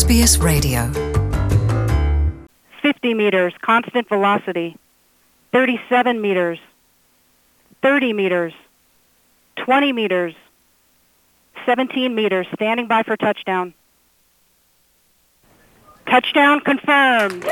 SBS Radio. 50 meters, constant velocity. 37 meters. 30 meters. 20 meters. 17 meters, standing by for touchdown. Touchdown confirmed.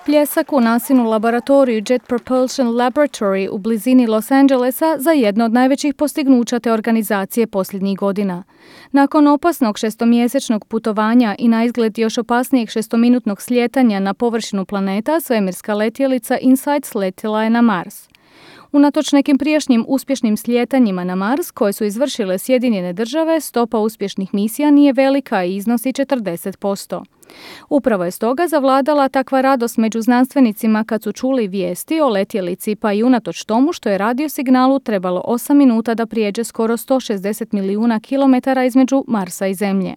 Pljesak u NASINU laboratoriju Jet Propulsion Laboratory u blizini Los Angelesa za jedno od najvećih postignuća te organizacije posljednjih godina. Nakon opasnog 6-mjesečnog putovanja i naizgled još opasnijeg 6-minutnog slijetanja na površinu planeta, svemirska letjelica InSight sletjela je na Mars. Unatoč nekim prijašnjim uspješnim slijetanjima na Mars koje su izvršile Sjedinjene države, stopa uspješnih misija nije velika i iznosi 40%. Upravo je stoga zavladala takva radost među znanstvenicima kad su čuli vijesti o letjelici, pa i unatoč tomu što je radio signalu trebalo 8 minuta da prijeđe skoro 160 milijuna kilometara između Marsa i Zemlje.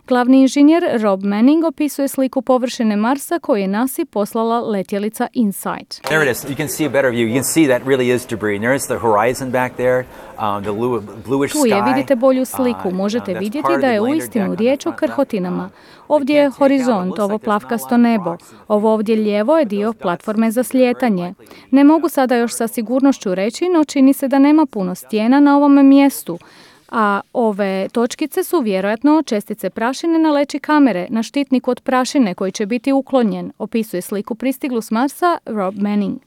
Glavni inženjer Rob Manning opisuje sliku površine Marsa koju je NASA poslala letjelica InSight. There it is. You can see a better view. You can see that really is debris. And there is the horizon back there, the bluish sky. Tu je, vidite bolju sliku. Možete vidjeti da je uistinu riječ o krhotinama. Ovdje je horizont, ovo plavkasto nebo. Ovo ovdje lijevo je dio platforme za slijetanje. Ne mogu sada još sa sigurnošću reći, no čini se da nema puno stijena na ovom mjestu. A ove točkice su vjerojatno čestice prašine na leći kamere, na štitniku od prašine koji će biti uklonjen, opisuje sliku pristiglu s Marsa Rob Manning.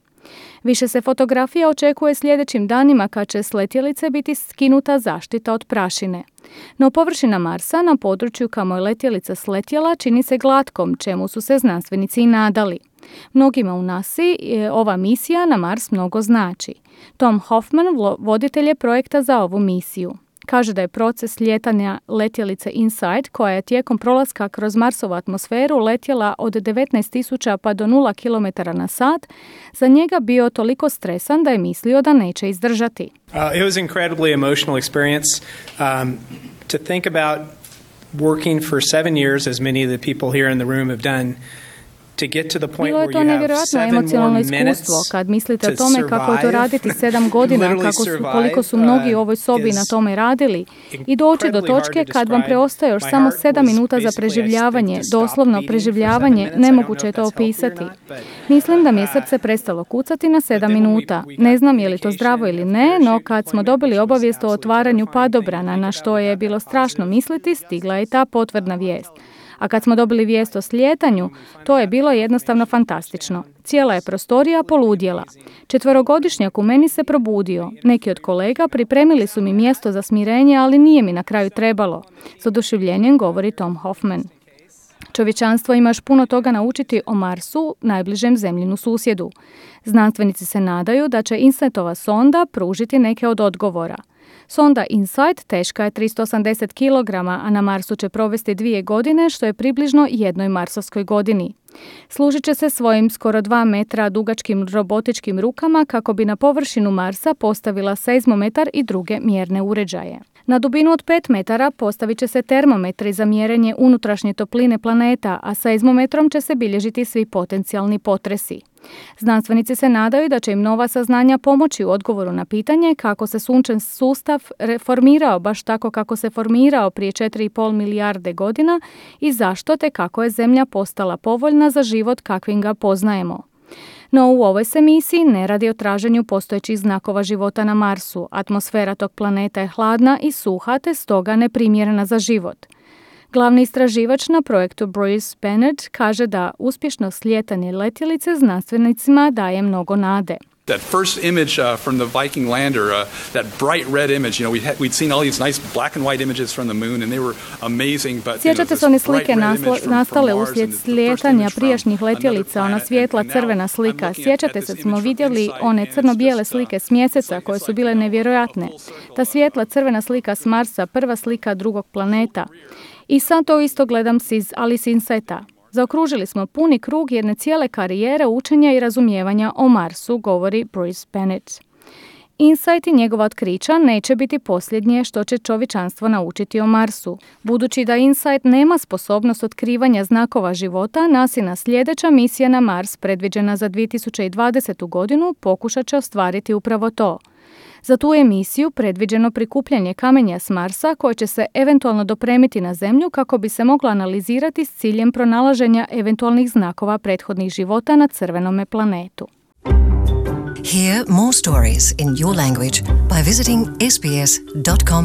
Više se fotografija očekuje sljedećim danima kad će s letjelice biti skinuta zaštita od prašine. No površina Marsa na području kamo je letjelica sletjela čini se glatkom, čemu su se znanstvenici i nadali. Mnogima u NASA-i ova misija na Mars mnogo znači. Tom Hoffman, voditelj je projekta za ovu misiju. Kaže da je proces lijetanja letjelice InSight, koja je tijekom prolaska kroz Marsovu atmosferu letjela od 19.000 pa do 0 km na sat, za njega bio toliko stresan da je mislio da neće izdržati. It was incredibly emotional experience to think about working for 7 years, as many of the people here in the room have done. Bilo je to nevjerojatno emocionalno iskustvo kad mislite o tome kako je to raditi 7 godina, koliko su mnogi u ovoj sobi na tome radili i doći do točke kad vam preostaje još samo 7 minuta za preživljavanje, doslovno preživljavanje, nemoguće je to opisati. Mislim da mi je srce prestalo kucati na 7 minuta. Ne znam je li to zdravo ili ne, no kad smo dobili obavijest o otvaranju padobrana, na što je bilo strašno misliti, stigla je ta potvrdna vijest. A kad smo dobili vijest o slijetanju, to je bilo jednostavno fantastično. Cijela je prostorija poludjela. 4-godišnjak u meni se probudio. Neki od kolega pripremili su mi mjesto za smirenje, ali nije mi na kraju trebalo. S oduševljenjem govori Tom Hoffman. Čovječanstvo ima još puno toga naučiti o Marsu, najbližem zemljinu susjedu. Znanstvenici se nadaju da će InSightova sonda pružiti neke od odgovora. Sonda InSight teška je 380 kg, a na Marsu će provesti 2 godine, što je približno jednoj marsovskoj godini. Služit će se svojim skoro 2 metra dugačkim robotičkim rukama kako bi na površinu Marsa postavila seizmometar i druge mjerne uređaje. Na dubinu od 5 metara postavit će se termometri za mjerenje unutrašnje topline planeta, a seizmometrom će se bilježiti svi potencijalni potresi. Znanstvenici se nadaju da će im nova saznanja pomoći u odgovoru na pitanje kako se sunčev sustav reformirao baš tako kako se formirao prije 4,5 milijarde godina i zašto te kako je Zemlja postala povoljna za život kakvim ga poznajemo. No u ovoj se misiji ne radi o traženju postojećih znakova života na Marsu. Atmosfera tog planeta je hladna i suha te stoga neprimjerena za život. Glavni istraživač na projektu Bruce Bennett kaže da uspješno slijetanje letjelice znanstvenicima daje mnogo nade. That first image from the Viking lander, that bright red image, we'd seen all these nice black and white images from the moon and they were amazing, but sjećate se one slike nastale uslijed slijetanja prijašnjih letjelica, ona svijetla crvena slika. Sjećate se, smo vidjeli one crno-bijele slike s mjeseca koje su bile nevjerojatne. Ta svijetla crvena slika s Marsa, prva slika drugog planeta. I sad to isto gledam ali s InSighta. Zaokružili smo puni krug jedne cijele karijere učenja i razumijevanja o Marsu, govori Bruce Bennett. InSight i njegova otkrića neće biti posljednje što će čovječanstvo naučiti o Marsu. Budući da InSight nema sposobnost otkrivanja znakova života, NASIna sljedeća misija na Mars, predviđena za 2020. godinu, pokušat će ostvariti upravo to. Za tu emisiju predviđeno prikupljanje kamenja s Marsa koje će se eventualno dopremiti na Zemlju kako bi se moglo analizirati s ciljem pronalaženja eventualnih znakova prethodnih života na crvenome planetu. Hear more stories in your language by visiting sbs.com.au.